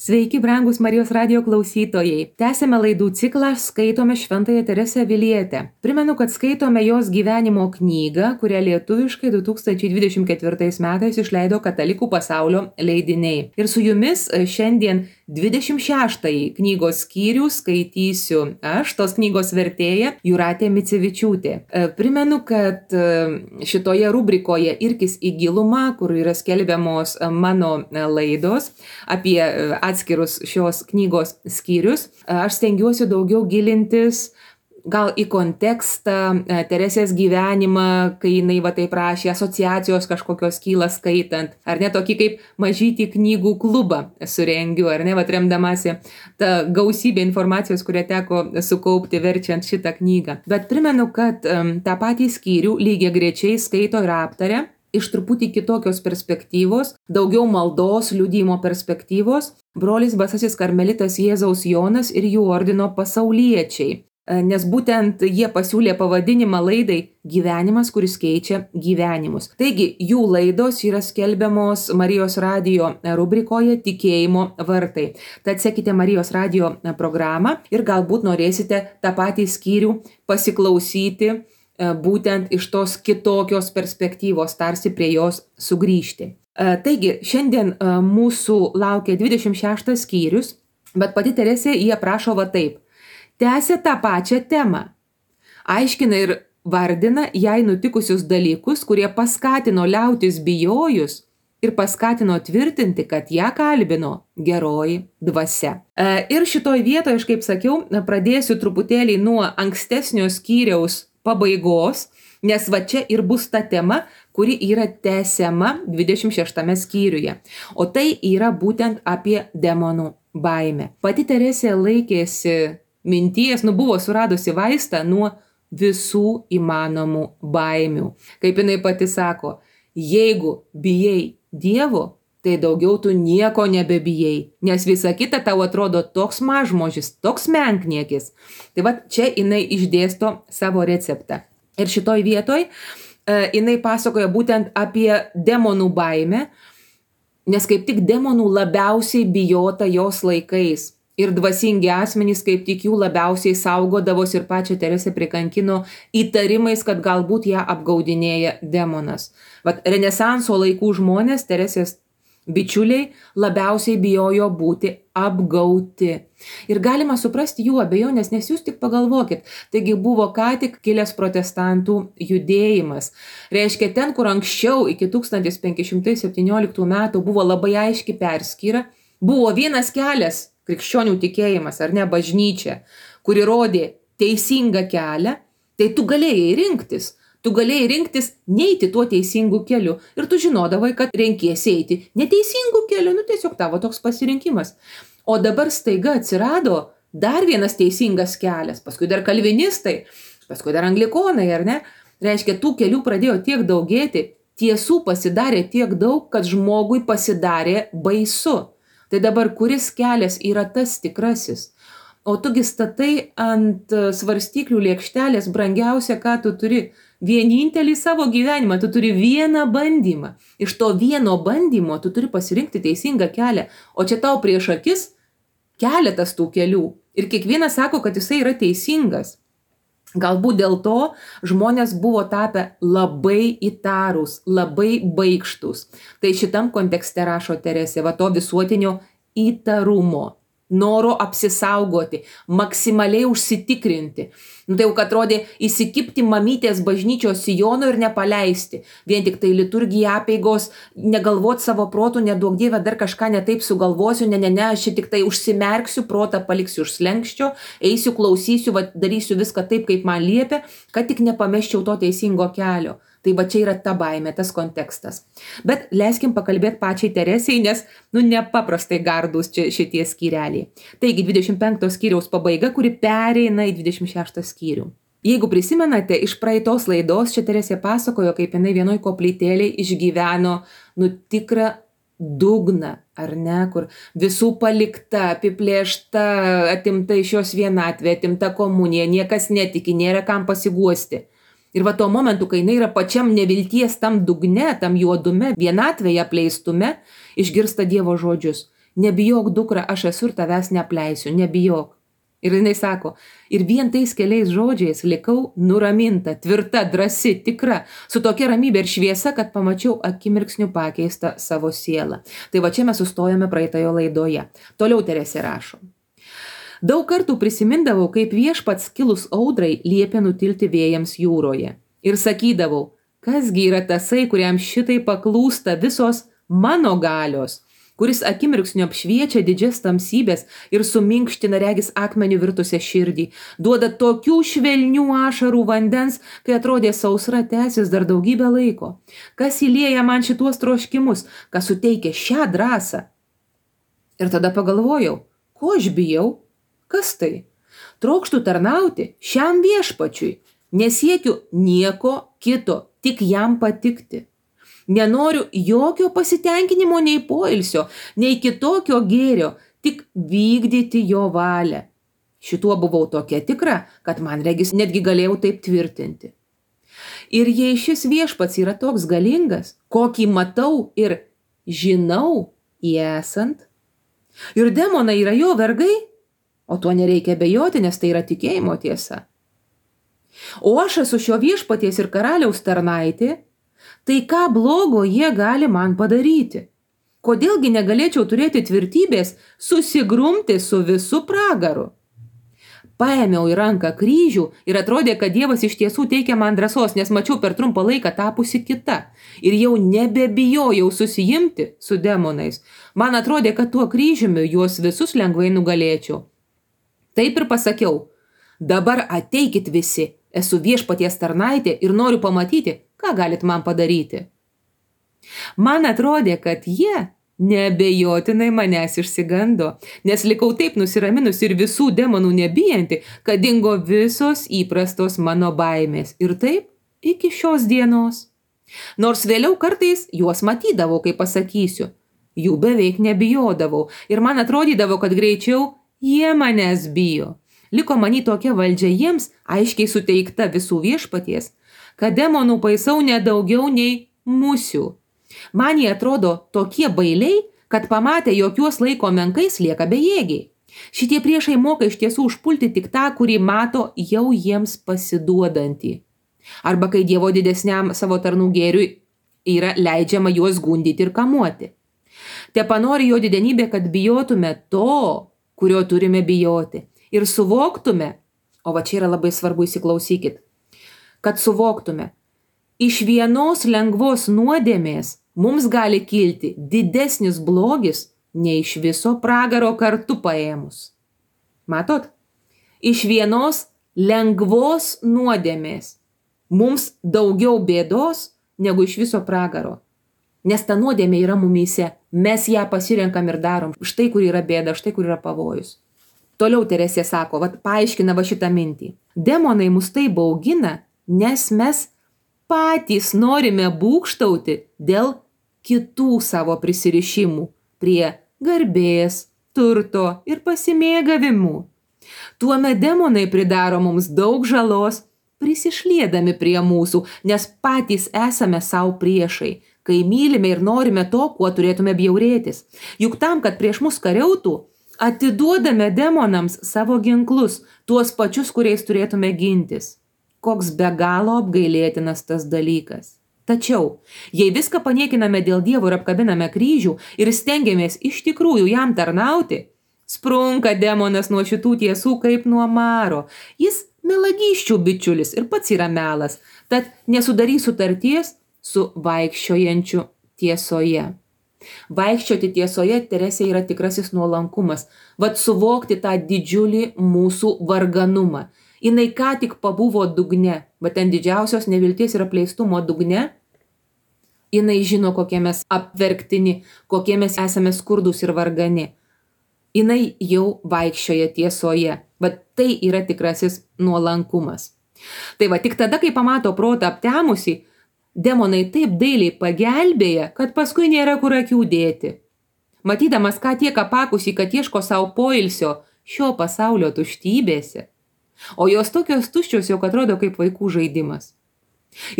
Sveiki, brangus Marijos radijo klausytojai. Tęsėme laidų ciklą Skaitome Šventąją Teresę Avilietę. Primenu, kad skaitome jos gyvenimo knygą, kurią lietuviškai 2024 metais išleido Katalikų pasaulio leidiniai. Ir su jumis šiandien 26 knygos skyrių skaitysiu aš, tos knygos vertėja Jūratė Micevičiūtė. Primenu, kad šitoje rubrikoje Irkis į gilumą, kur yra skelbiamos mano laidos apie atskirus šios knygos skyrius, aš stengiuosi daugiau gilintis gal į kontekstą, Teresės gyvenimą, kai jinai taip rašė, asociacijos kažkokios kyla skaitant, ar ne, tokį kaip mažytį knygų klubą surengiu, ar ne, remdamasi tą gausybę informacijos, kurią teko sukaupti verčiant šitą knygą. Bet primenu, kad tą patį skyrių lygiagrečiai skaito ir aptaria iš truputį kitokios perspektyvos, daugiau maldos, liudijimo perspektyvos, brolis Basasis karmelitas Jėzaus Jonas ir jų ordino pasauliečiai. Nes būtent jie pasiūlė pavadinimą laidai Gyvenimas, kuris keičia gyvenimus. Taigi, jų laidos yra skelbiamos Marijos radijo rubrikoje Tikėjimo vartai. Tad sekite Marijos radijo programą ir galbūt norėsite tą patį skyrių pasiklausyti būtent iš tos kitokios perspektyvos, tarsi prie jos sugrįžti. Taigi, šiandien mūsų laukia 26 skyrius, bet pati Teresė jį aprašo va taip. Tęsia tą pačią temą. Aiškina ir vardina jai nutikusius dalykus, kurie paskatino liautis bijojus ir paskatino tvirtinti, kad ją kalbino geroji dvasia. Ir šitoj vietoje, aš kaip sakiau, pradėsiu truputėlį nuo ankstesnio skyriaus pabaigos, nes va čia ir bus ta tema, kuri yra tęsiama 26 skyriuje. O tai yra būtent apie demonų baimę. Pati Teresė laikėsi minties, buvo suradusi vaistą nuo visų įmanomų baimių. Kaip jinai pati sako, jeigu bijai Dievo, tai daugiau tu nieko nebebijai, nes visa kita tau atrodo toks mažmožis, toks menkniekis. Tai va čia jinai išdėsto savo receptą. Ir šitoj vietoj jinai pasakoja būtent apie demonų baimę, nes kaip tik demonų labiausiai bijota jos laikais. Ir dvasingi asmenys kaip tik jų labiausiai saugodavosi ir pačią Teresę prikankino įtarimais, kad galbūt ją apgaudinėja demonas. Vat Renesanso laikų žmonės, Teresės bičiuliai, labiausiai bijojo būti apgauti. Ir galima suprasti jų abejonės, nes jūs tik pagalvokit, taigi buvo ką tik kilęs protestantų judėjimas. Reiškia, ten, kur anksčiau iki 1517 metų buvo labai aiški perskyra, buvo vienas kelias, krikščionių tikėjimas, ar ne, bažnyčia, kuri rodė teisingą kelią, tai tu galėjai rinktis. Tu galėjai rinktis neiti tuo teisingu keliu ir tu žinodavai, kad renkiesi eiti neteisingu keliu, tiesiog tavo toks pasirinkimas. O dabar staiga atsirado dar vienas teisingas kelias, paskui dar kalvinistai, paskui dar anglikonai, ar ne? Reiškia, tų kelių pradėjo tiek daugėti, tiesų pasidarė tiek daug, kad žmogui pasidarė baisu. Tai dabar kuris kelias yra tas tikrasis? O tugi statai ant svarstyklių lėkštelės brangiausia, ką tu turi. Vienintelį savo gyvenimą, tu turi vieną bandymą. Iš to vieno bandymo tu turi pasirinkti teisingą kelią. O čia tau prieš akis keletas tų kelių. Ir kiekvienas sako, kad jisai yra teisingas. Galbūt dėl to žmonės buvo tapę labai įtarūs, labai baikštus. Tai šitam kontekste rašo Teresė, va to visuotinio įtarumo, noro apsisaugoti, maksimaliai užsitikrinti. Tai jau, kad atrodė įsikibti mamytės bažnyčios sijono ir nepaleisti. Vien tik tai liturgija, apeigos, negalvot savo protų, neduok Dieve, dar kažką netaip sugalvosiu, aš čia tik tai užsimerksiu, protą paliksiu už slenkščio, eisiu, klausysiu, darysiu viską taip, kaip man liepia, kad tik nepameščiau to teisingo kelio. Tai va čia yra ta baimė, tas kontekstas. Bet leiskim pakalbėti pačiai Teresei, nes nepaprastai gardus čia šitie skyreliai. Taigi 25 skyriaus pabaiga, kuri pereina į 26 skyrių. Jeigu prisimenate, iš praeitos laidos čia Teresė pasakojo, kaip jinai vienoj koplytėlėj išgyveno tikrą dugną, ar ne, kur visų palikta, apiplėšta, atimta iš jos vienatvė, atimta komunija, niekas netiki, nėra kam pasiguosti. Ir va tuo momentu, kai jinai yra pačiam nevilties tam dugne, tam juodume, vienatvėje, apleistume, išgirsta Dievo žodžius. Nebijok, dukra, aš esu ir tavęs neapleisiu, nebijok. Ir jinai sako, ir vien tais keliais žodžiais likau nuraminta, tvirta, drąsi, tikra, su tokia ramybė ir šviesa, kad pamačiau akimirksniu pakeistą savo sielą. Tai va čia mes sustojame praeitojo laidoje. Toliau Teresė rašo. Daug kartų prisimindavau, kaip viešpats kilus audrai liepė nutilti vėjams jūroje. Ir sakydavau, kasgi yra tasai, kuriam šitai paklūsta visos mano galios, kuris akimirksniu apšviečia didžias tamsybės ir suminkština regis akmenių virtusią širdį, duoda tokių švelnių ašarų vandens, kai atrodė sausra tęsis dar daugybę laiko. Kas įlieja man šituos troškimus, kas suteikia šią drąsą? Ir tada pagalvojau, ko aš bijau? Kas tai? Trokštu tarnauti šiam viešpačiui, nesiekiu nieko kito, tik jam patikti. Nenoriu jokio pasitenkinimo nei poilsio, nei kitokio gėrio, tik vykdyti jo valią. Šituo buvau tokia tikra, kad man regis netgi galėjau taip tvirtinti. Ir jei šis viešpats yra toks galingas, kokį matau ir žinau įesant, ir demonai yra jo vergai, o tuo nereikia abejoti, nes tai yra tikėjimo tiesa. O aš esu šio viešpaties ir karaliaus tarnaitė, tai ką blogo jie gali man padaryti? Kodėlgi negalėčiau turėti tvirtybės susigrumti su visu pragaru? Paėmiau į ranką kryžių ir atrodė, kad Dievas iš tiesų teikia man drąsos, nes mačiau per trumpą laiką tapusi kita. Ir jau nebebijojau susijimti su demonais. Man atrodė, kad tuo kryžiumi juos visus lengvai nugalėčiau. Taip ir pasakiau, dabar ateikit visi, esu viešpaties tarnaitė ir noriu pamatyti, ką galit man padaryti. Man atrodė, kad jie neabejotinai manęs išsigando, nes likau taip nusiraminus ir visų demonų nebijanti, kad dingo visos įprastos mano baimės. Ir taip iki šios dienos. Nors vėliau kartais juos matydavau, kai pasakysiu, jų beveik nebijodavau ir man atrodydavo, kad greičiau jie manęs bijo. Liko many tokia valdžia jiems, aiškiai suteikta visų viešpaties, kad demonų paisau nedaugiau nei musių. Man jie atrodo tokie bailiai, kad pamatę, jog juos laiko menkais, lieka bejėgiai. Šitie priešai moka iš tiesų užpulti tik tą, kurį mato jau jiems pasiduodantį. Arba kai Dievo didesniam savo tarnų gėriui yra leidžiama juos gundyti ir kamuoti. Tepanori jo didenybė, kad bijotume to, kurio turime bijoti. Ir suvoktume, o va čia yra labai svarbu, įsiklausykit, kad suvoktume, iš vienos lengvos nuodėmės mums gali kilti didesnis blogis nei iš viso pragaro kartu paėmus. Matot? Iš vienos lengvos nuodėmės mums daugiau bėdos negu iš viso pragaro. Nes ta nuodėmė yra mumyse, mes ją pasirenkam ir darom. Štai kur yra bėda, štai kur yra pavojus. Toliau Teresė sako, paaiškina šitą mintį. Demonai mus tai baugina, nes mes patys norime būgštauti dėl kitų savo prisirišimų prie garbės, turto ir pasimėgavimų. Tuomet demonai pridaro mums daug žalos, prisišliedami prie mūsų, nes patys esame savo priešai, kai mylime ir norime to, kuo turėtume bjaurėtis. Juk tam, kad prieš mus kariautų, atiduodame demonams savo ginklus, tuos pačius, kuriais turėtume gintis. Koks be galo apgailėtinas tas dalykas. Tačiau, jei viską paniekiname dėl Dievo ir apkabiname kryžių ir stengiamės iš tikrųjų jam tarnauti, sprunka demonas nuo šitų tiesų kaip nuo maro. Jis melagysčių bičiulis ir pats yra melas, tad nesudarys sutarties su vaikščiojančiu tiesoje. Vaikščioti tiesoje, Teresė, yra tikrasis nuolankumas. Vat suvokti tą didžiulį mūsų varganumą. Jinai ką tik pabuvo dugne, bet ten didžiausios nevilties ir apleistumo dugne. Jinai žino, kokie mes apverktini, kokie mes esame skurdus ir vargani. Jinai jau vaikščioja tiesoje, bet tai yra tikrasis nuolankumas. Tai va, tik tada, kai pamato protą aptemusi, demonai taip dailiai pagelbėja, kad paskui nėra kur akių dėti. Matydamas, ką tiek apakusi, kad ieško savo poilsio šio pasaulio tuštybėse, o jos tokios tuščios, jog atrodo kaip vaikų žaidimas.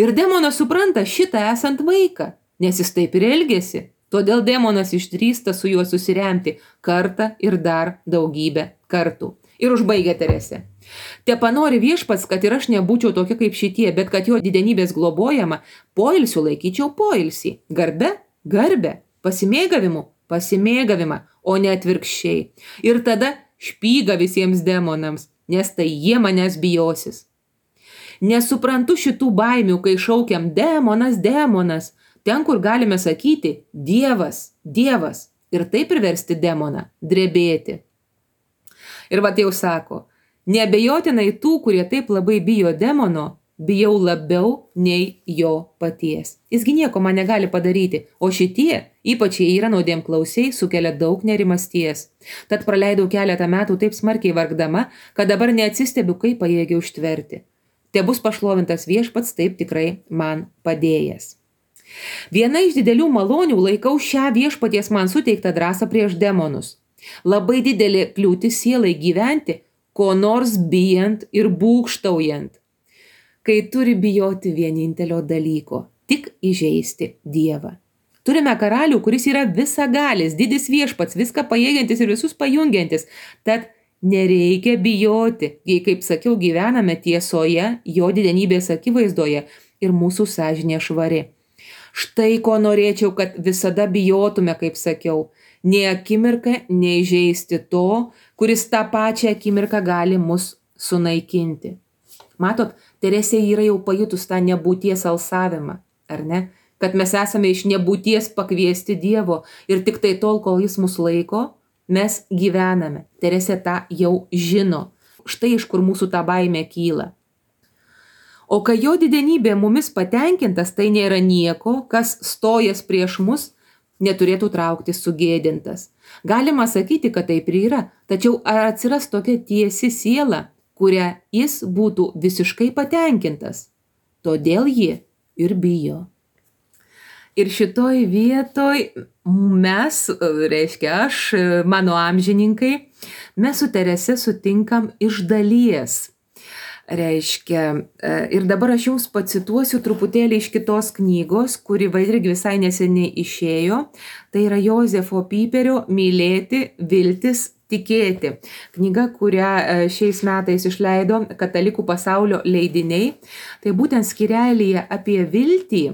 Ir demonas supranta šitą esant vaiką, nes jis taip ir elgiasi. Todėl demonas išdrįsta su juo susiremti kartą ir dar daugybę kartų. Ir užbaigia Teresė. Tepanori viešpats, kad ir aš nebūčiau tokia kaip šitie, bet kad jo didenybės globojama, poilsiu laikyčiau poilsį, garbę, pasimėgavimą, o ne atvirkščiai. Ir tada špyga visiems demonams, nes tai jie manęs bijosis. Nesuprantu šitų baimių, kai šaukiam demonas, ten, kur galime sakyti Dievas, ir taip priversti demoną drebėti. Ir vat jau sako, neabejotinai tų, kurie taip labai bijo demono, bijau labiau nei jo paties. Jisgi nieko man negali padaryti, o šitie, ypač jie yra nuodėmklausiai, sukelia daug nerimasties. Tad praleidau keletą metų taip smarkiai vargdama, kad dabar neatsistebiu, kaip pajėgiau ištverti. Te bus pašlovintas viešpats, taip tikrai man padėjęs. Viena iš didelių malonių laikau šią viešpaties man suteiktą drąsą prieš demonus. Labai didelė kliūtis sielai gyventi, ko nors bijant ir būgštaujant, kai turi bijoti vienintelio dalyko – tik įžeisti Dievą. Turime karalių, kuris yra visagalis, didis viešpats, viską pajėgiantis ir visus pajungiantis, tad nereikia bijoti, jei, kaip sakiau, gyvename tiesoje, jo didenybės akivaizdoje ir mūsų sąžinė švari. Štai ko norėčiau, kad visada bijotume, kaip sakiau, nei akimirką neįžeisti to, kuris tą pačią akimirką gali mus sunaikinti. Matot, Teresė yra jau pajutus tą nebūties alsavimą, ar ne? Kad mes esame iš nebūties pakviesti Dievo ir tik tai tol, kol jis mus laiko, mes gyvename. Teresė tą jau žino. Štai iš kur mūsų ta baimė kyla. O kai jo didenybė mumis patenkintas, tai nėra nieko, kas stojas prieš mus, neturėtų trauktis sugėdintas. Galima sakyti, kad taip ir yra, tačiau ar atsiras tokia tiesi siela, kurią jis būtų visiškai patenkintas? Todėl ji ir bijo. Ir šitoj vietoj mes, reiškia aš, mano amžininkai, mes su Terese sutinkam iš dalies. Reiškia, ir dabar aš jums pacituosiu truputėlį iš kitos knygos, kuri irgi visai neseniai išėjo. Tai yra Jozefo Piperio Mylėti, viltis, tikėti. Knyga, kurią šiais metais išleido Katalikų pasaulio leidiniai. Tai būtent skyrelyje apie viltį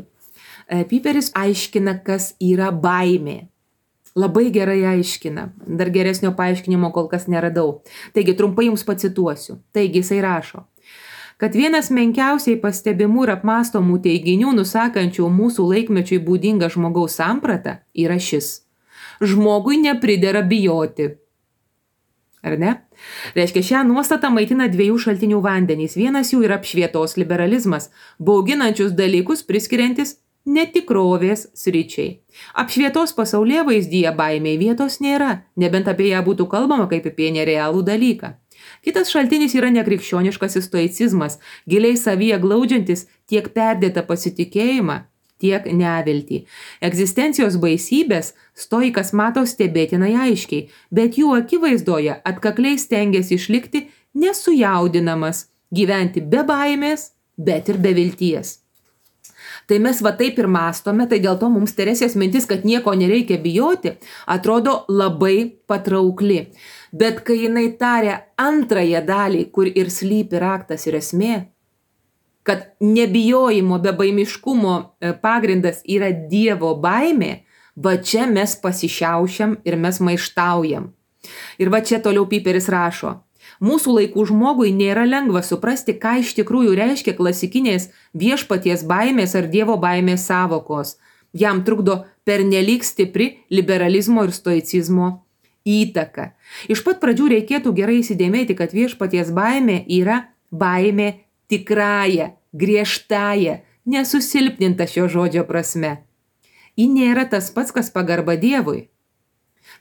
Piperis aiškina, kas yra baimė. Labai gerai aiškina. Dar geresnio paaiškinimo kol kas neradau. Taigi, trumpai jums pacituosiu. Taigi, jisai rašo, kad vienas menkiausiai pastebimų ir apmastomų teiginių, nusakančių mūsų laikmečiui būdingą žmogaus sampratą, yra šis. Žmogui nepridera bijoti. Ar ne? Reiškia, šią nuostatą maitina dviejų šaltinių vandenys. Vienas jų yra apšvietos liberalizmas, bauginančius dalykus priskiriantis netikrovės sričiai. Apšvietos pasaulėvaizdyje baimei vietos nėra, nebent apie ją būtų kalbama kaip apie nerealų dalyką. Kitas šaltinis yra nekrikščioniškasis stoicizmas, giliai savyje glaudžiantis tiek perdėtą pasitikėjimą, tiek neviltį. Egzistencijos baisybės stoikas mato stebėtinai aiškiai, bet jų akivaizdoje atkakliai stengiasi išlikti nesujaudinamas, gyventi be baimės, bet ir be vilties. Tai mes va taip ir mąstome, tai dėl to mums Teresės mintis, kad nieko nereikia bijoti, atrodo labai patraukli. Bet kai jinai taria antrąją dalį, kur ir slypi raktas ir esmė, kad nebijojimo be baimiškumo pagrindas yra Dievo baimė, va čia mes pasišiaušiam ir mes maištaujam. Ir va čia toliau Piperis rašo. Mūsų laikų žmogui nėra lengva suprasti, ką iš tikrųjų reiškia klasikinės viešpaties baimės ar Dievo baimės savokos. Jam trukdo pernelyg stipri liberalizmo ir stoicizmo įtaka. Iš pat pradžių reikėtų gerai įsidėmėti, kad viešpaties baimė yra baimė tikrąja, griežtąja, nesusilpninta šio žodžio prasme. Ji nėra tas pats, kas pagarba Dievui.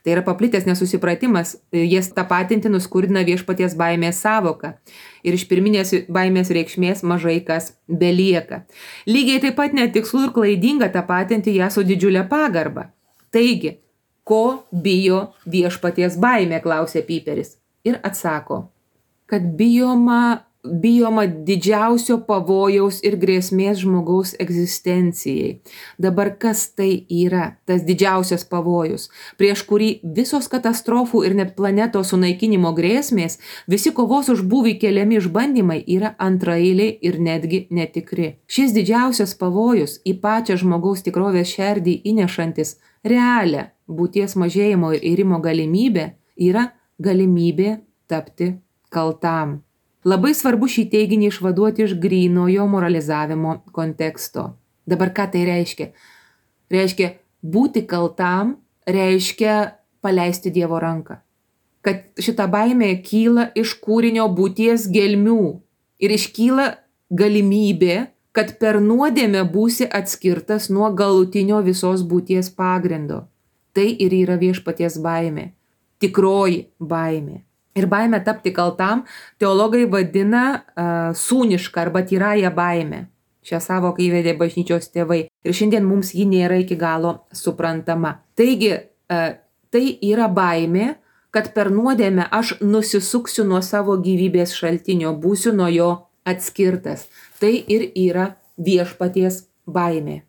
Tai yra paplitęs nesusipratimas, jas tapatinti nuskurdina viešpaties baimės savoką. Ir iš pirminės baimės reikšmės mažai kas belieka. Lygiai taip pat netikslu ir klaidinga tapatinti ją su didžiulė pagarba. Taigi, ko bijo viešpaties baimė, klausė Piperis. Ir atsako, kad bijoma bijoma didžiausio pavojaus ir grėsmės žmogaus egzistencijai. Dabar kas tai yra, tas didžiausias pavojus, prieš kurį visos katastrofų ir net planetos sunaikinimo grėsmės, visi kovos už būvį keliami išbandymai yra antraeiliai ir netgi netikri. Šis didžiausias pavojus į pačią žmogaus tikrovės šerdį įnešantis realią būties mažėjimo ir irimo galimybę yra galimybė tapti kaltam. Labai svarbu šį teiginį išvaduoti iš grynojo moralizavimo konteksto. Dabar ką tai reiškia? Reiškia, būti kaltam reiškia paleisti Dievo ranką. Kad šita baimė kyla iš kūrinio būties gelmių ir iškyla galimybė, kad per nuodėmę būsi atskirtas nuo galutinio visos būties pagrindo. Tai ir yra viešpaties baimė, tikroji baimė. Ir baimę tapti kaltam teologai vadina sūnišką arba tyrąją baimę. Šią savoką įvedė bažnyčios tėvai ir šiandien mums ji nėra iki galo suprantama. Taigi, tai yra baimė, kad per nuodėmę aš nusisuksiu nuo savo gyvybės šaltinio, būsiu nuo jo atskirtas. Tai ir yra viešpaties baimė.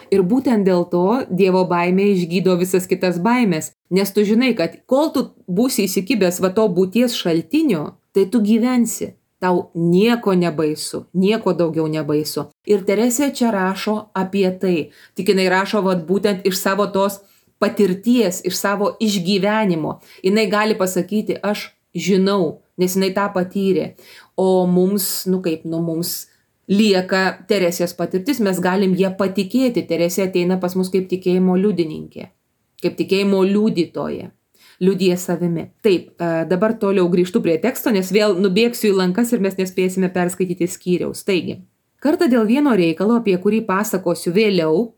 Ir būtent dėl to Dievo baimė išgydo visas kitas baimės, nes tu žinai, kad kol tu būsi įsikibęs va to būties šaltinio, tai tu gyvensi, tau nieko nebaisu, nieko daugiau nebaisu. Ir Teresė čia rašo apie tai, tik jinai rašo būtent iš savo tos patirties, iš savo išgyvenimo. Jinai gali pasakyti, aš žinau, nes jinai tą patyrė, o mums, mums lieka Teresės patirtis, mes galim ją patikėti. Teresė ateina pas mus kaip tikėjimo liudininkė, kaip tikėjimo liudytoja, liudija savimi. Taip, dabar toliau grįžtu prie teksto, nes vėl nubėgsiu į lankas ir mes nespėsime perskaityti skyriaus. Taigi, kartą dėl vieno reikalo, apie kurį pasakosiu vėliau,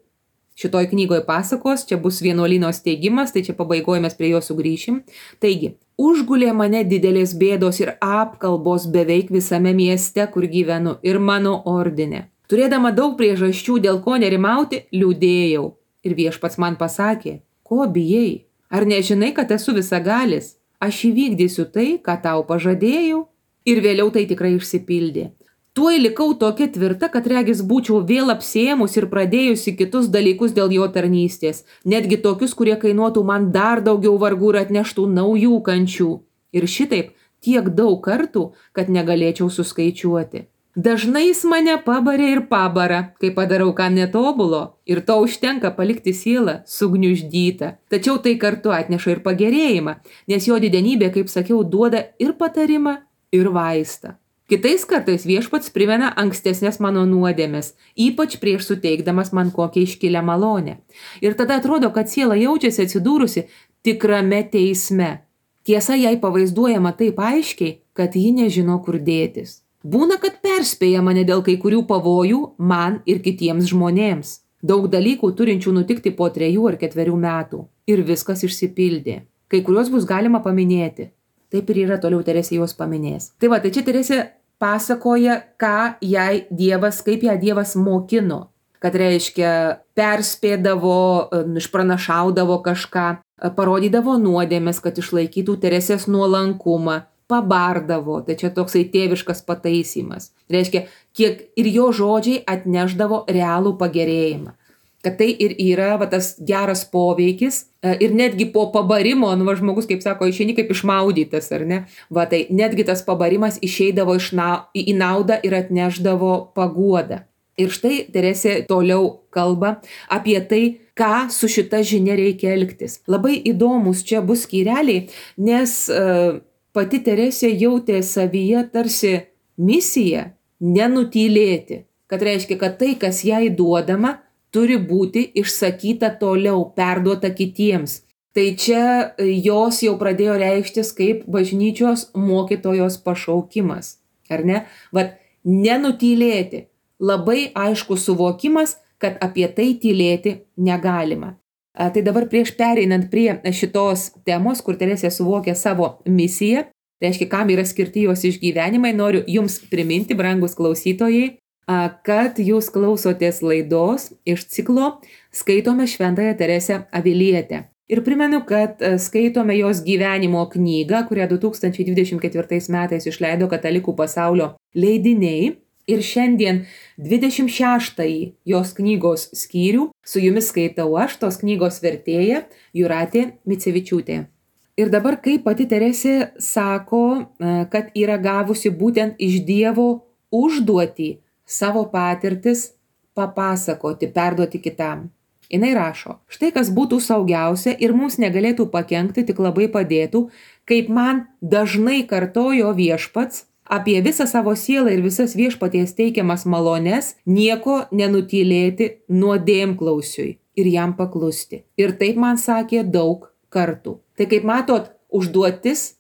šitoj knygoje pasakos, čia bus vienuolyno steigimas, tai čia pabaigoje mes prie jo sugrįšim. Taigi, užgulė mane didelės bėdos ir apkalbos beveik visame mieste, kur gyvenu, ir mano ordine. Turėdama daug priežasčių, dėl ko nerimauti, liūdėjau. Ir viešpats man pasakė, ko bijai? Ar nežinai, kad esu visagalis? Aš įvykdysiu tai, ką tau pažadėjau, ir vėliau tai tikrai išsipildė. Tuoj likau tokia tvirta, kad regis būčiau vėl apsėmus ir pradėjusi kitus dalykus dėl jo tarnystės, netgi tokius, kurie kainuotų man dar daugiau vargų ir atneštų naujų kančių. Ir šitaip tiek daug kartų, kad negalėčiau suskaičiuoti. Dažnai jis mane pabarė ir pabara, kai padarau ką netobulo, ir to užtenka palikti sielą sugniuždytą. Tačiau tai kartu atneša ir pagerėjimą, nes jo didenybė, kaip sakiau, duoda ir patarimą, ir vaistą. Kitais kartais viešpats primena ankstesnės mano nuodėmes, ypač prieš suteikdamas man kokią iškilę malonę. Ir tada atrodo, kad siela jaučiasi atsidūrusi tikrame teisme. Tiesa, jai pavaizduojama taip aiškiai, kad ji nežino, kur dėtis. Būna, kad perspėja mane dėl kai kurių pavojų man ir kitiems žmonėms. Daug dalykų turinčių nutikti po 3 ar 4 metų. Ir viskas išsipildė. Kai kuriuos bus galima paminėti. Taip ir yra, toliau Teresė juos paminės. Tai va, tai čia Teresė pasakoja, kaip ją Dievas mokino. Kad reiškia, perspėdavo, išpranašaudavo kažką, parodydavo nuodėmes, kad išlaikytų Teresės nuolankumą, pabardavo, tai čia toksai tėviškas pataisymas. Reiškia, kiek ir jo žodžiai atnešdavo realų pagerėjimą. Kad tai ir yra tas geras poveikis ir netgi po pabarimo, žmogus, kaip sako, išeini kaip išmaudytas, ar ne? Tai netgi tas pabarimas išeidavo į naudą ir atnešdavo paguodą. Ir štai Teresė toliau kalba apie tai, ką su šita žinia reikia elgtis. Labai įdomus čia bus skyreliai, nes pati Teresė jautė savyje tarsi misiją nenutylėti. Kad reiškia, kad tai, kas jai duodama, turi būti išsakyta toliau, perduota kitiems. Tai čia jos jau pradėjo reikštis kaip bažnyčios mokytojos pašaukimas. Ar ne? Nenutylėti. Labai aiškus suvokimas, kad apie tai tylėti negalima. Tai dabar prieš pereinant prie šitos temos, kur Teresė suvokė savo misiją, reiškia, kam yra skirti jos išgyvenimai, noriu jums priminti, brangus klausytojai, kad jūs klausotės laidos iš ciklo Skaitome Šventąją Teresę Avilietę. Ir primenu, kad skaitome jos gyvenimo knygą, kurią 2024 metais išleido Katalikų pasaulio leidiniai. Ir šiandien 26-ąjį jos knygos skyrių su jumis skaitau aš, tos knygos vertėja Jūratė Micevičiūtė. Ir dabar, kaip pati Teresė sako, kad yra gavusi būtent iš Dievo užduotį savo patirtis papasakoti, perduoti kitam. Jinai rašo, štai kas būtų saugiausia ir mums negalėtų pakenkti, tik labai padėtų, kaip man dažnai kartojo Viešpats, apie visą savo sielą ir visas Viešpaties teikiamas malones, nieko nenutylėti nuodėmklausiui ir jam paklusti. Ir taip man sakė daug kartų. Tai kaip matot, užduotis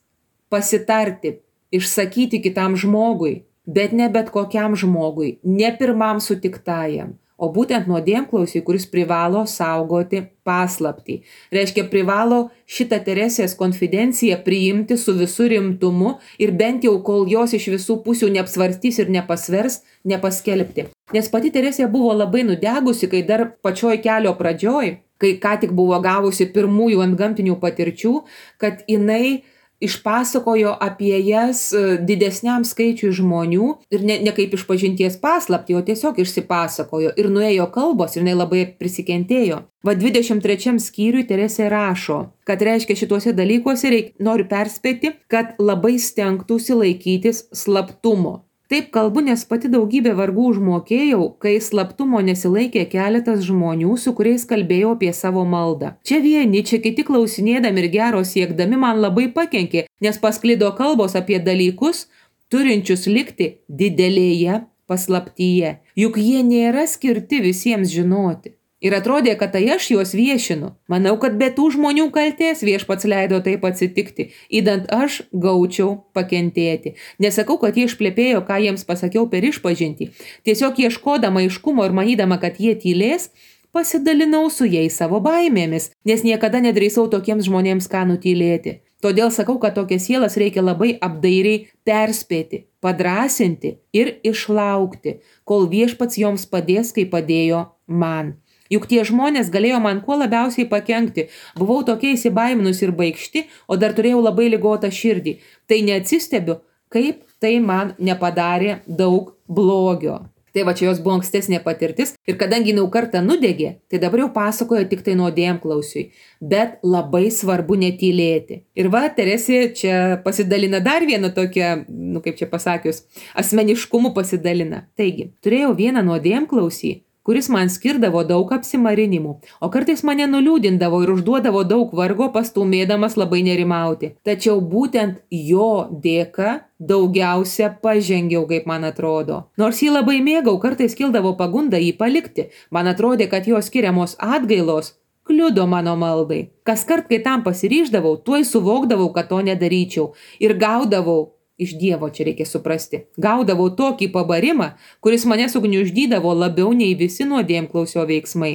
pasitarti, išsakyti kitam žmogui, bet ne bet kokiam žmogui, ne pirmam sutiktajam, o būtent nuodėmklausiui, kuris privalo saugoti paslaptį. Reiškia, privalo šitą Teresės konfidenciją priimti su visų rimtumu ir bent jau, kol jos iš visų pusių neapsvarstys ir nepasvers, nepaskelbti. Nes pati Teresė buvo labai nudegusi, kai dar pačioj kelio pradžioj, kai ką tik buvo gavusi pirmųjų antgamtinių patirčių, kad jinai išpasakojo apie jas didesniam skaičiui žmonių ir ne kaip išpažinties paslaptį, o tiesiog išsipasakojo ir nuėjo kalbos ir jinai labai prisikentėjo. 23 skyriui Teresė rašo, kad reiškia šituose dalykuose noriu perspėti, kad labai stengtųsi laikytis slaptumo. Taip kalbu, nes pati daugybę vargų užmokėjau, kai slaptumo nesilaikė keletas žmonių, su kuriais kalbėjau apie savo maldą. Čia vieni, čia kiti klausinėdami ir gero siekdami man labai pakenkė, nes pasklido kalbos apie dalykus, turinčius likti didelėje paslaptyje. Juk jie nėra skirti visiems žinoti. Ir atrodė, kad tai aš juos viešinu. Manau, kad be tų žmonių kaltės Viešpats leido taip atsitikti, idant aš gaučiau pakentėti. Nesakau, kad jie išplepėjo, ką jiems pasakiau per išpažintį. Tiesiog ieškodama aiškumo ir manydama, kad jie tylės, pasidalinau su jais savo baimėmis, nes niekada nedrįsau tokiems žmonėms ką nutylėti. Todėl sakau, kad tokias sielas reikia labai apdairiai perspėti, padrasinti ir išlaukti, kol Viešpats joms padės, kaip padėjo man. Juk tie žmonės galėjo man kuo labiausiai pakenkti. Buvau tokia įsibaiminus ir baikšti, o dar turėjau labai ligotą širdį. Tai neatsistebiu, kaip tai man nepadarė daug blogio. Tai va, čia jos buvo ankstesnė patirtis ir kadangi jau kartą nudegė, tai dabar jau pasakojo tik tai nuodėmklausiui. Bet labai svarbu netylėti. Ir va, Teresė čia pasidalina dar vieną tokią, kaip čia pasakius, asmeniškumu pasidalina. Taigi, turėjau vieną nuodėmklausį, kuris man skirdavo daug apsimarinimų, o kartais mane nuliūdindavo ir užduodavo daug vargo, pastumėdamas labai nerimauti. Tačiau būtent jo dėka daugiausia pažengiau, kaip man atrodo. Nors jį labai mėgau, kartais kildavo pagunda jį palikti. Man atrodė, kad jo skiriamos atgailos kliudo mano maldai. Kaskart, kai tam pasiryždavau, tuoj suvokdavau, kad to nedaryčiau ir gaudavau iš Dievo, čia reikia suprasti. Gaudavau tokį pabarimą, kuris mane sugniuždydavo labiau nei visi nuodėmklausio veiksmai.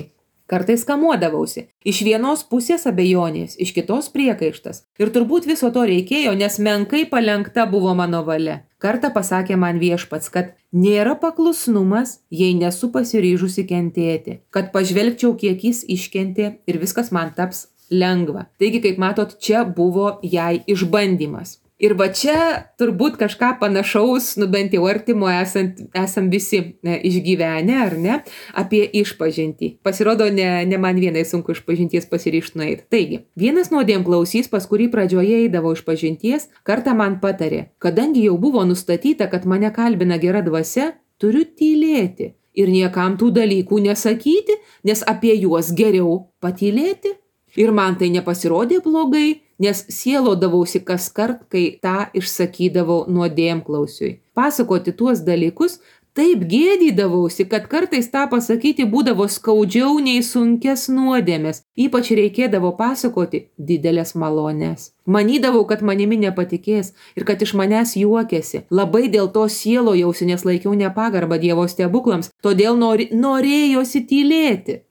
Kartais kamuodavausi. Iš vienos pusės abejonės, iš kitos priekaištas. Ir turbūt viso to reikėjo, nes menkai palenkta buvo mano valia. Kartą pasakė man Viešpats, kad nėra paklusnumas, jei nesu pasiryžusi kentėti. Kad pažvelgčiau, kiek jis iškentė ir viskas man taps lengva. Taigi, kaip matot, čia buvo jai išbandymas. Ir va čia turbūt kažką panašaus, bent jau artimo esam visi išgyvenę, ar ne, apie išpažintį. Pasirodo, ne man vienai sunku išpažinties pasiryžti nueiti. Taigi, vienas nuodėmklausys, pas kurį pradžioje eidavo išpažinties, kartą man patarė, kadangi jau buvo nustatyta, kad mane kalbina gera dvasia, turiu tylėti ir niekam tų dalykų nesakyti, nes apie juos geriau patylėti. Ir man tai nepasirodė blogai, nes sielodavausi kaskart, kai tą išsakydavau nuodėmklausiui. Pasakoti tuos dalykus taip gėdydavausi, kad kartais tą pasakyti būdavo skaudžiau nei sunkias nuodėmes. Ypač reikėdavo pasakoti didelės malones. Manydavau, kad manimi nepatikės ir kad iš manęs juokėsi. Labai dėl to sielojausi, nes laikiau nepagarbą Dievo stebuklams, todėl norėjosi tylėti.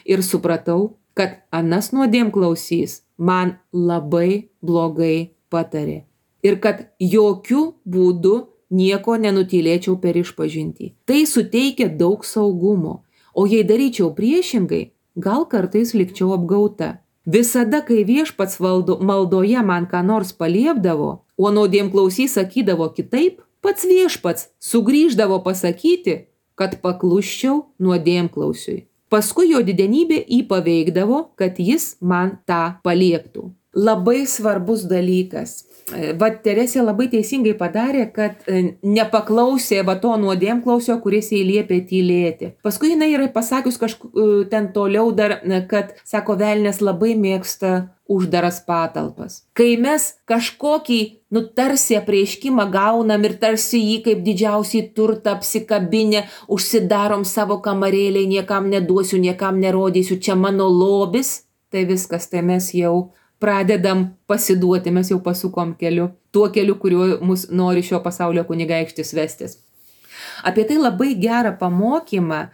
Ir supratau, kad anas nuodėmklausys man labai blogai patarė ir kad jokių būdų nieko nenutylėčiau per išpažintį. Tai suteikia daug saugumo, o jei daryčiau priešingai, gal kartais likčiau apgauta. Visada, kai viešpats maldoje man ką nors paliepdavo, o nuodėmklausys sakydavo kitaip, pats viešpats sugrįždavo pasakyti, kad paklusčiau nuodėmklausiui. Paskui jo didenybė jį paveikdavo, kad jis man tą palieptų. Labai svarbus dalykas. Vat Teresė labai teisingai padarė, kad nepaklausė to nuodėmklausio, kuris jai liepė tylėti. Paskui jinai yra pasakius ten toliau dar, kad, sako, velnias labai mėgsta uždaras patalpas. Kai mes kažkokį, tarsi apreiškimą gaunam ir tarsi jį kaip didžiausiai turtą apsikabinę, užsidarom savo kamarėliai, niekam neduosiu, niekam nerodysiu, čia mano lobis, tai viskas, tai mes jau pradedam pasiduoti, mes jau pasukom keliu, tuo keliu, kuriuo mus nori šio pasaulio kunigaikštis vestis. Apie tai labai gerą pamokymą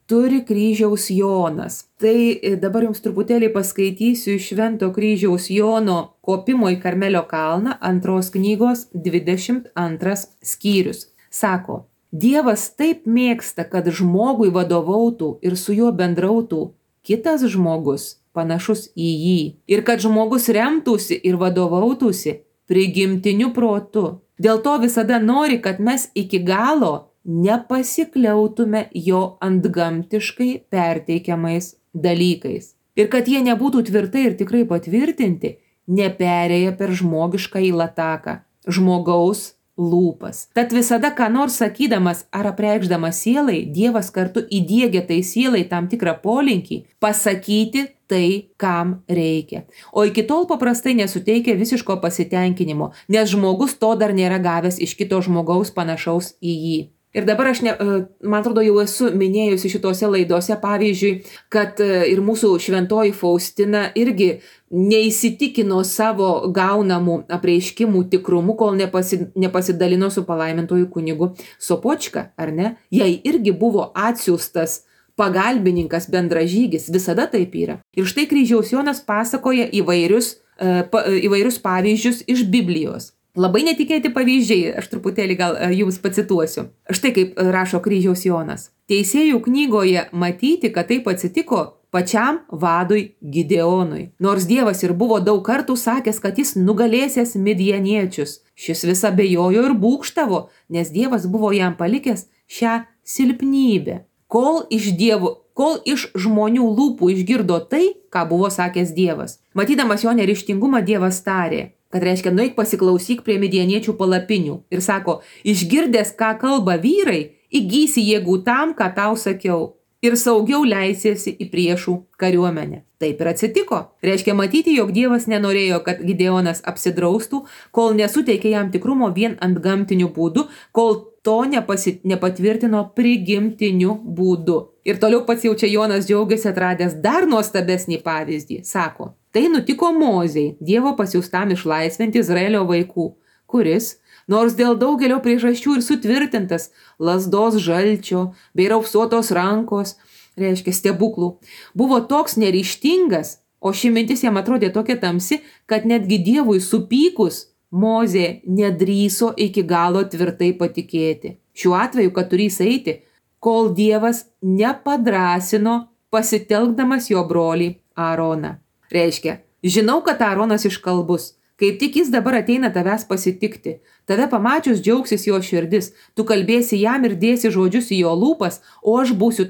turi kryžiaus Jonas. Tai dabar jums truputėlį paskaitysiu iš Švento kryžiaus Jono kopimo į Karmelio kalną 2 knygos 22 skyrius. Sako, Dievas taip mėgsta, kad žmogui vadovautų ir su juo bendrautų kitas žmogus, panašus į jį. Ir kad žmogus remtųsi ir vadovautųsi prigimtiniu protu. Dėl to visada nori, kad mes iki galo nepasikliautume jo antgamtiškai perteikiamais dalykais. Ir kad jie nebūtų tvirtai ir tikrai patvirtinti, neperėję per žmogišką lataką, žmogaus lūpas. Tad visada, ką nors sakydamas ar apreikšdamas sielai, Dievas kartu įdiegia tai sielai tam tikrą polinkį pasakyti tai, kam reikia. O iki tol paprastai nesuteikia visiško pasitenkinimo, nes žmogus to dar nėra gavęs iš kito žmogaus panašaus į jį. Ir dabar aš, man atrodo, jau esu minėjusi šitose laidose, pavyzdžiui, kad ir mūsų šventoji Faustina irgi neįsitikino savo gaunamų apreiškimų tikrumu, kol nepasidalino su palaimintoju kunigu Sopočka, ar ne? Jai irgi buvo atsiųstas pagalbininkas, bendražygis, visada taip yra. Ir štai kryžiaus Jonas pasakoja įvairius pavyzdžius iš Biblijos. Labai netikėti pavyzdžiai, aš truputėlį gal jums pacituosiu. Štai kaip rašo kryžiaus Jonas. Teisėjų knygoje matyti, kad taip atsitiko pačiam vadui Gideonui. Nors Dievas ir buvo daug kartų sakęs, kad jis nugalėsęs midjaniečius. Šis vis abejojo ir būgštavo, nes Dievas buvo jam palikęs šią silpnybę. Kol iš žmonių lūpų išgirdo tai, ką buvo sakęs Dievas. Matydamas jo neryžtingumą, Dievas tarė, kad reiškia, nueik pasiklausyk prie midjaniečių palapinių. Ir sako, išgirdęs, ką kalba vyrai, įgysi jėgų tam, ką tau sakiau. Ir saugiau leisiesi į priešų kariuomenę. Taip ir atsitiko. Reiškia matyti, jog Dievas nenorėjo, kad Gideonas apsidraustų, kol nesuteikė jam tikrumo vien antgamtiniu būdu, kol to nepatvirtino prigimtiniu būdu. Ir toliau pats jau čia Jonas džiaugiasi atradęs dar nuostabesnį pavyzdį. Sako, tai nutiko Mozei, Dievo pasiųstam išlaisvinti Izraelio vaikų, kuris, nors dėl daugelio priežasčių ir sutvirtintas lazdos žalčio bei raupsuotos rankos, reiškia stebuklų, buvo toks neryžtingas, o ši mintis jam atrodė tokia tamsi, kad netgi Dievui supykus Mozė nedrįso iki galo tvirtai patikėti. Šiuo atveju, kad turės eiti, kol Dievas nepadrasino pasitelkdamas jo brolį Aaroną. Reiškia, žinau, kad Aaronas iškalbus, kaip tik jis dabar ateina tavęs pasitikti. Tave pamačius džiaugsis jo širdis, tu kalbėsi jam ir dėsi žodžius į jo lūpas, o aš būsiu su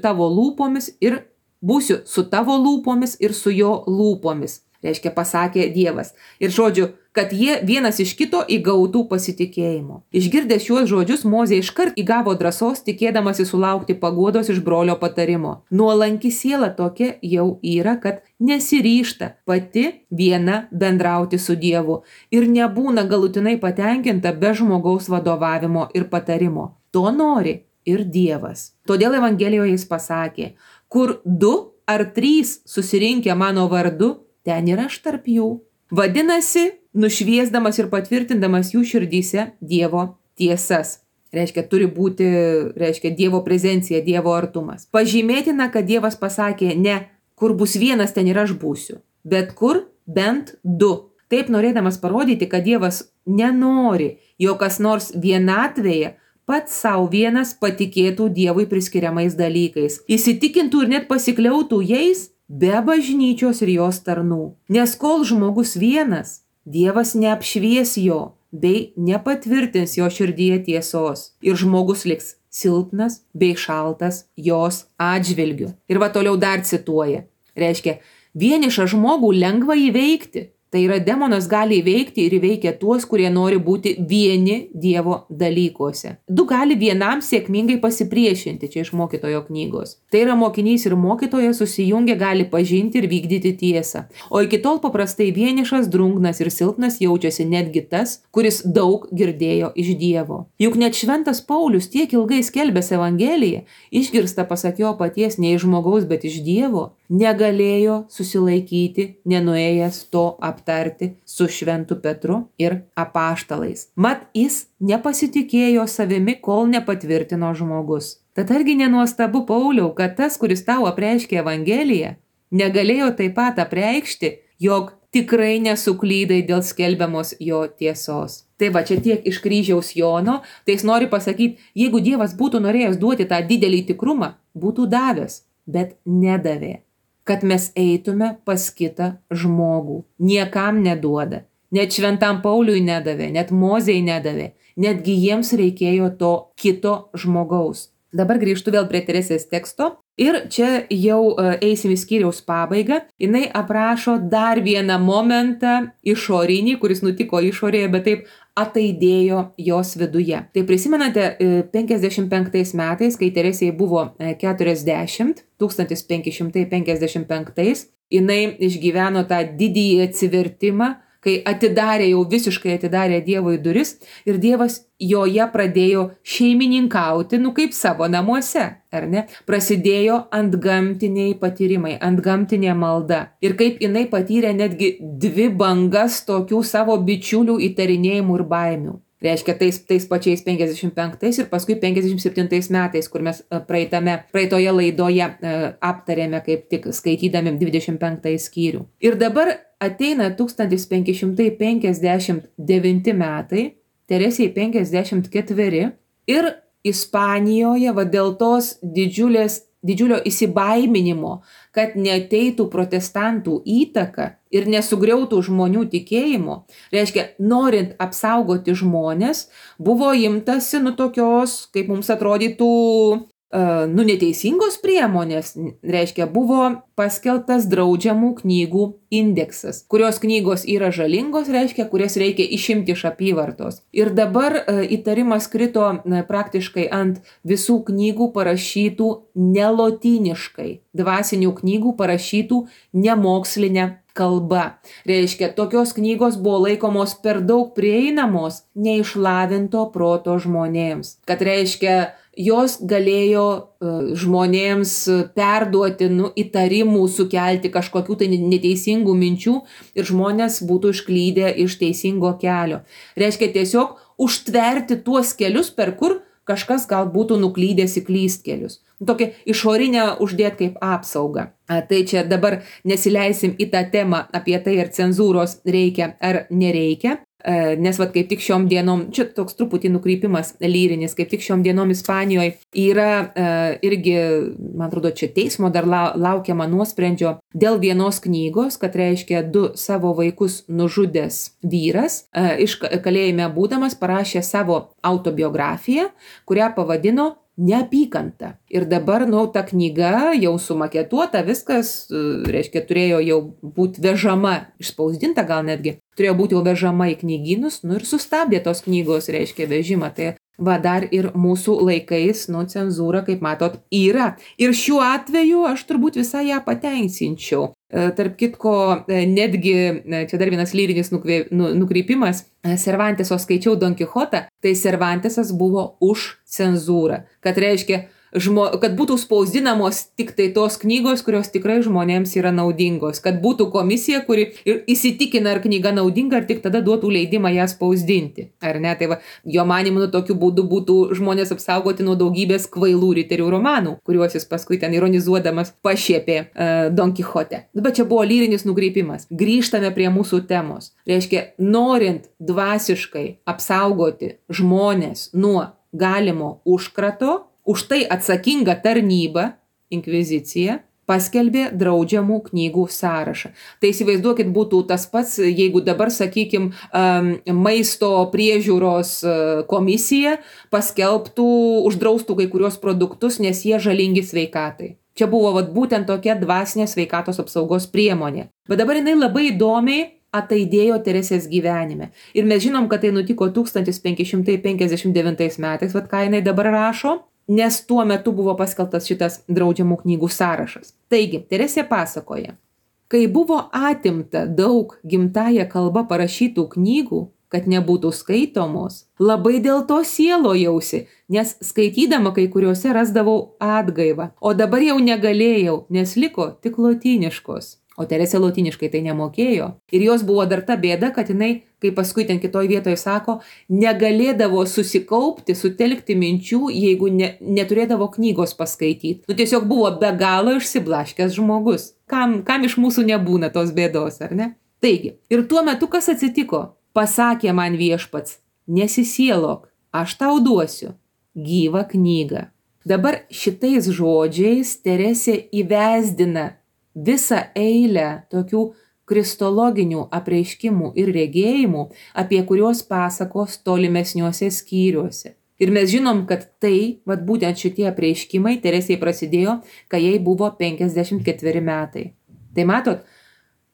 tavo lūpomis ir su jo lūpomis. Reiškia, pasakė Dievas. Ir žodžiu, kad jie vienas iš kito įgautų pasitikėjimo. Išgirdęs šiuos žodžius, Mozė iškart įgavo drąsos, tikėdamasi sulaukti paguodos iš brolio patarimo. Nuolanki siela tokia jau yra, kad nesiryžta pati viena bendrauti su Dievu ir nebūna galutinai patenkinta be žmogaus vadovavimo ir patarimo. To nori ir Dievas. Todėl Evangelijoje jis pasakė, kur 2 ar 3 susirinkę mano vardu, ten ir aš tarp jų. Vadinasi, nušviesdamas ir patvirtindamas jų širdyse Dievo tiesas. Reiškia, turi būti, Dievo prezencija, Dievo artumas. Pažymėtina, kad Dievas pasakė, ne, kur bus vienas, ten ir aš būsiu, bet kur bent 2. Taip norėdamas parodyti, kad Dievas nenori, jog kas nors vienatvėje pats savo vienas patikėtų Dievui priskiriamais dalykais. Įsitikintų ir net pasikliautų jais, be bažnyčios ir jos tarnų. Nes kol žmogus vienas, Dievas neapšvies jo bei nepatvirtins jo širdyje tiesos ir žmogus liks silpnas bei šaltas jos atžvilgiu. Ir va toliau dar cituoja. Reiškia, vienišą žmogų lengva įveikti. Tai yra, demonas gali įveikti ir įveikia tuos, kurie nori būti vieni Dievo dalykuose. Du gali vienam sėkmingai pasipriešinti, čia iš mokytojo knygos. Tai yra, mokinys ir mokytojas susijungę gali pažinti ir vykdyti tiesą. O iki tol paprastai vienišas, drungnas ir silpnas jaučiasi netgi tas, kuris daug girdėjo iš Dievo. Juk net šventas Paulius tiek ilgai skelbęs Evangeliją, išgirsta pasak jo paties ne iš žmogaus, bet iš Dievo, negalėjo susilaikyti, nenuėjęs to aptarti su šventu Petru ir apaštalais. Mat jis nepasitikėjo savimi, kol nepatvirtino žmogus. Tad argi nenuostabu, Pauliau, kad tas, kuris tau apreiškė Evangeliją, negalėjo taip pat apreikšti, jog tikrai nesuklydai dėl skelbiamos jo tiesos. Tai va, čia tiek iš kryžiaus Jono, tai jis nori pasakyti, jeigu Dievas būtų norėjęs duoti tą didelį tikrumą, būtų davęs, bet nedavė. Kad mes eitume pas kitą žmogų. Niekam neduoda. Net šventam Pauliui nedavė, net Mozei nedavė. Netgi jiems reikėjo to kito žmogaus. Dabar grįžtu vėl prie Teresės teksto. Ir čia jau eisim į skyriaus pabaigą. Jinai aprašo dar vieną momentą išorinį, kuris nutiko išorėje, bet taip ataidėjo jos viduje. Tai prisimenate, 55 metais, kai Teresėjai buvo 40, 1555, jinai išgyveno tą didįjį atsivertimą, kai jau visiškai atidarė Dievui duris ir Dievas joje pradėjo šeimininkauti, kaip savo namuose, ar ne? Prasidėjo antgamtiniai patyrimai, antgamtinė malda. Ir kaip jinai patyrė netgi 2 bangas tokių savo bičiulių įtarinėjimų ir baimių. Reiškia, tais pačiais 55 ir paskui 57 metais, kur mes praeitoje laidoje aptarėme, kaip tik skaitydami 25 skyrių. Ir dabar ateina 1559 metai, Teresei 54 ir Ispanijoje dėl tos didžiulio įsibaiminimo, kad neateitų protestantų įtaka ir nesugriautų žmonių tikėjimo, reiškia, norint apsaugoti žmones, buvo imtasi tokios, kaip mums atrodytų, neteisingos priemonės, reiškia, buvo paskelbtas draudžiamų knygų indeksas, kurios knygos yra žalingos, reiškia, kurias reikia išimti iš apyvartos. Ir dabar įtarimas krito praktiškai ant visų knygų parašytų nelotyniškai, dvasinių knygų parašytų nemokslinė kalba. Reiškia, tokios knygos buvo laikomos per daug prieinamos neišlavinto proto žmonėms. Kad reiškia, jos galėjo žmonėms perduoti įtarimų, sukelti kažkokių tai neteisingų minčių ir žmonės būtų išklydę iš teisingo kelio. Reiškia, tiesiog užtverti tuos kelius, per kur kažkas gal būtų nuklydęs į klystkelius. Tokia išorinė uždėt kaip apsauga. Tai čia dabar nesileisim į tą temą apie tai, ar cenzūros reikia ar nereikia. Nes kaip tik šiom dienom, čia toks truputį nukrypimas lyrinis, kaip tik šiom dienom Ispanijoje yra irgi, man atrodo, čia teismo dar laukiama nuosprendžio dėl vienos knygos, kad reiškia 2 savo vaikus nužudęs vyras, iš kalėjime būdamas parašė savo autobiografiją, kurią pavadino Neapykanta. Ir dabar, ta knyga jau sumaketuota, viskas, reiškia, turėjo jau būti vežama, išspausdinta gal netgi, turėjo būti jau vežama į knygynus, ir sustabdė tos knygos, reiškia, vežimą. Tai dar ir mūsų laikais, cenzūra, kaip matot, yra. Ir šiuo atveju aš turbūt visai ją pateisinčiau. Tarp kitko, netgi, čia dar vienas lyrinis nukrypimas, Cervanteso skaičiau Don Kichotą, tai Cervantesas buvo už cenzūrą. Kad reiškia, kad būtų spausdinamos tik tai tos knygos, kurios tikrai žmonėms yra naudingos. Kad būtų komisija, kuri įsitikina, ar knyga naudinga, ar tik tada duotų leidimą ją spausdinti. Ar ne? Tai jo manimu, tokiu būdu būtų žmonės apsaugoti nuo daugybės kvailų riterių romanų, kuriuos jis paskui ten ironizuodamas pašiepė Don Kichote. Bet čia buvo lyrinis nukreipimas. Grįžtame prie mūsų temos. Reiškia, norint dvasiškai apsaugoti žmonės nuo galimo užkrato, už tai atsakinga tarnyba, inkvizicija, paskelbė draudžiamų knygų sąrašą. Tai įsivaizduokit, būtų tas pats, jeigu dabar, sakykim, maisto priežiūros komisija paskelbtų, uždraustų kai kurios produktus, nes jie žalingi sveikatai. Čia buvo būtent tokia dvasinė sveikatos apsaugos priemonė. Bet dabar jinai labai įdomiai ataidėjo Teresės gyvenime. Ir mes žinom, kad tai nutiko 1559 metais, ką jinai dabar rašo, nes tuo metu buvo paskelbtas šitas draudžiamų knygų sąrašas. Taigi, Teresė pasakoja, kai buvo atimta daug gimtąja kalba parašytų knygų, kad nebūtų skaitomos, labai dėl to sielojausi, nes skaitydama kai kuriuose rasdavau atgaivą, o dabar jau negalėjau, nes liko tik lotyniškos. O Teresė lotyniškai tai nemokėjo. Ir jos buvo dar ta bėda, kad jinai, kaip paskui ten kitoj vietoje sako, negalėdavo susikaupti, sutelkti minčių, jeigu neturėdavo knygos paskaityti. Tiesiog buvo be galo išsiblaškęs žmogus. Kam iš mūsų nebūna tos bėdos, ar ne? Taigi, ir tuo metu kas atsitiko? Pasakė man viešpats, nesisielok, aš tau duosiu gyvą knygą. Dabar šitais žodžiais Teresė įvesdina visą eilę tokių kristologinių apreiškimų ir regėjimų, apie kuriuos pasakos tolimesniuose skyriuose. Ir mes žinom, kad tai, būtent šitie apreiškimai Teresei prasidėjo, kai jai buvo 54 metai. Tai matot,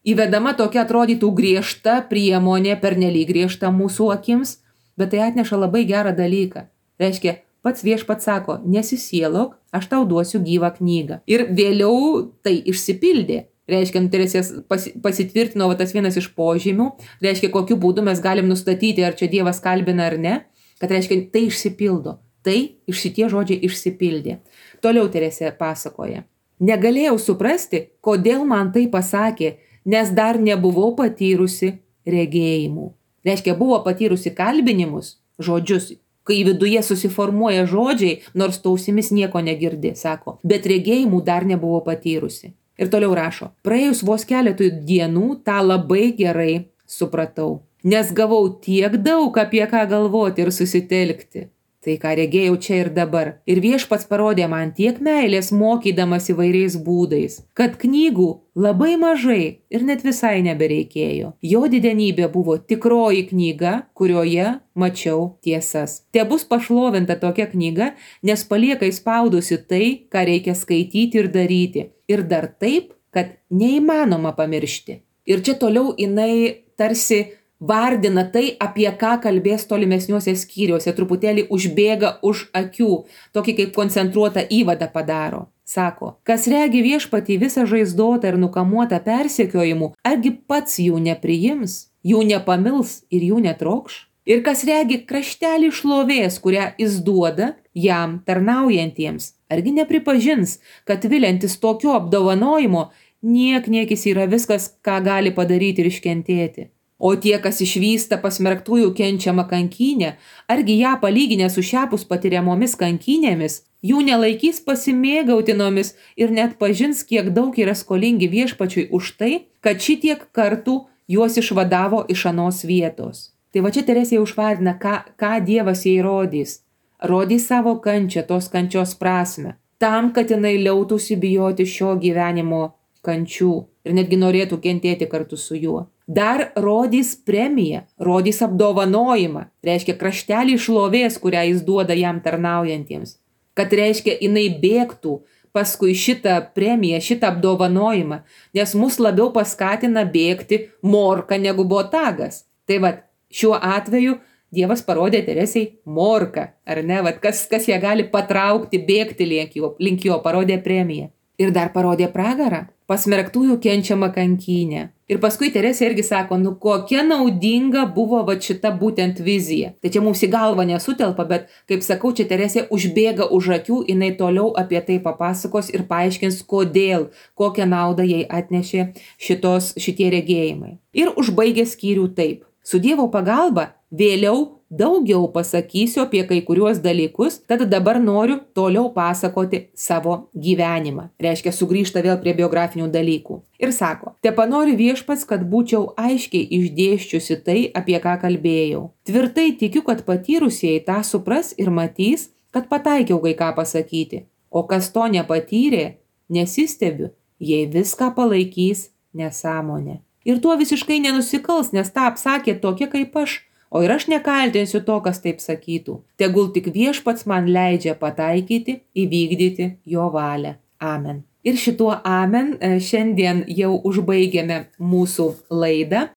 įvedama tokia atrodytų griežta priemonė, pernelyg griežta mūsų akims, bet tai atneša labai gerą dalyką. Reiškia, pats viešpats sako, nesisielok, aš tau duosiu gyvą knygą. Ir vėliau tai išsipildė. Reiškia, Teresės pasitvirtino tas vienas iš požymių, reiškia, kokiu būdu mes galim nustatyti, ar čia Dievas kalbina ar ne, kad reiškia, tai išsipildo. Tai šitie žodžiai išsipildė. Toliau Teresė pasakoja. Negalėjau suprasti, kodėl man tai pasakė, nes dar nebuvau patyrusi regėjimų. Reiškia, buvo patyrusi kalbinimus, žodžius, kai viduje susiformuoja žodžiai, nors tausimis nieko negirdi, sako, bet regėjimų dar nebuvau patyrusi. Ir toliau rašo, praėjus vos keletui dienų tą labai gerai supratau, nes gavau tiek daug apie ką galvoti ir susitelkti. Tai ką regėjau čia ir dabar. Ir viešpats parodė man tiek meilės mokydamas įvairiais būdais, kad knygų labai mažai ir net visai nebereikėjo. Jo didenybė buvo tikroji knyga, kurioje mačiau tiesas. Te bus pašlovinta tokia knyga, nes palieka įspaudusi tai, ką reikia skaityti ir daryti. Ir dar taip, kad neįmanoma pamiršti. Ir čia toliau jinai tarsi vardina tai, apie ką kalbės tolimesniuose skyriuose, truputėlį užbėga už akių, tokį kaip koncentruotą įvadą padaro. Sako, kas regi viešpatį visą žaizdotą ir nukamuotą persekiojimų, argi pats jų nepriims, jų nepamils ir jų netrokš? Ir kas regi kraštelį šlovės, kurią jis duoda jam tarnaujantiems, argi nepripažins, kad viliantis tokio apdovanojimo, niekis yra viskas, ką gali padaryti ir iškentėti. O tie, kas išvysta pasmerktųjų kenčiamą kankynę, argi ją palyginę su šiapus patiriamomis kankynėmis, jų nelaikys pasimėgautinomis ir net pažins, kiek daug yra skolingi viešpačiui už tai, kad šitiek kartų juos išvadavo iš anos vietos. Tai va čia Teresė užvardina, ką Dievas jai rodys. Rodys savo kančią, tos kančios prasme, tam, kad jinai liautųsi bijoti šio gyvenimo kančių ir netgi norėtų kentėti kartu su juo. Dar rodys premiją, rodys apdovanojimą, reiškia kraštelį šlovės, kurią jis duoda jam tarnaujantiems. Kad reiškia, jinai bėgtų paskui šitą premiją, šitą apdovanojimą, nes mus labiau paskatina bėgti morka negu botagas. Tai šiuo atveju Dievas parodė Teresei morką, ar ne? Kas ją gali patraukti, bėgti link jo, parodė premiją. Ir dar parodė pragarą, pasmerktųjų kenčiamą kankynę. Ir paskui Teresė irgi sako, kokia naudinga buvo šita būtent vizija. Tai čia mums į galvą nesutelpa, bet, kaip sakau, čia Teresė užbėga už akių, jinai toliau apie tai papasakos ir paaiškins, kodėl, kokią naudą jai atnešė šitie regėjimai. Ir užbaigė skyrių taip. Su Dievo pagalba vėliau daugiau pasakysiu apie kai kuriuos dalykus, tad dabar noriu toliau pasakoti savo gyvenimą. Reiškia, sugrįžta vėl prie biografinių dalykų. Ir sako, tepanori viešpats, kad būčiau aiškiai išdėsčiusi tai, apie ką kalbėjau. Tvirtai tikiu, kad patyrusieji tą supras ir matys, kad pataikiau kai ką pasakyti. O kas to nepatyrė, nesistebiu, jei viską palaikys nesąmonė. Ir tuo visiškai nenusikals, nes tą apsakė tokia kaip aš, o ir aš nekaltinsiu to, kas taip sakytų. Tegul tik Viešpats man leidžia pataikyti, įvykdyti jo valią. Amen. Ir šituo amen šiandien jau užbaigėme mūsų laidą.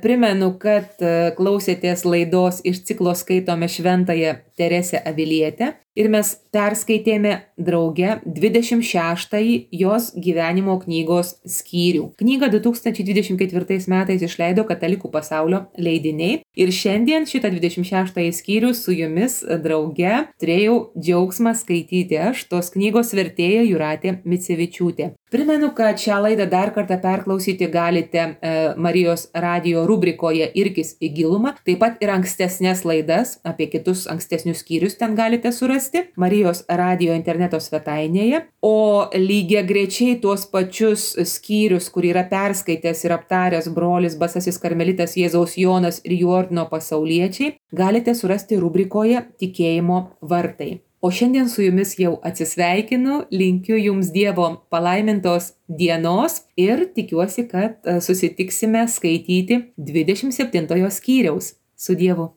Primenu, kad klausėtės laidos iš ciklo Skaitome šventąją Teresę Avilietę ir mes perskaitėme drauge 26-ąjį jos gyvenimo knygos skyrių. Knygą 2024 metais išleido Katalikų pasaulio leidiniai ir šiandien šitą 26-ąjį skyrių su jumis drauge turėjau džiaugsmą skaityti aš, tos knygos vertėja Jūratė Micevičiūtė. Primenu, kad šią laidą dar kartą perklausyti galite Marijos radijo rubrikoje Irkis į gilumą, taip pat ir ankstesnės laidas, apie kitus ankstesnius skyrius ten galite surasti Marijos radijo interneto svetainėje, o lygiagrečiai tuos pačius skyrius, kur yra perskaitęs ir aptaręs brolis Basasis karmelitas Jėzaus Jonas ir jų ordino pasauliečiai, galite surasti rubrikoje Tikėjimo vartai. O šiandien su jumis jau atsisveikinu, linkiu jums Dievo palaimintos dienos ir tikiuosi, kad susitiksime skaityti 27 skyriaus. Su Dievu.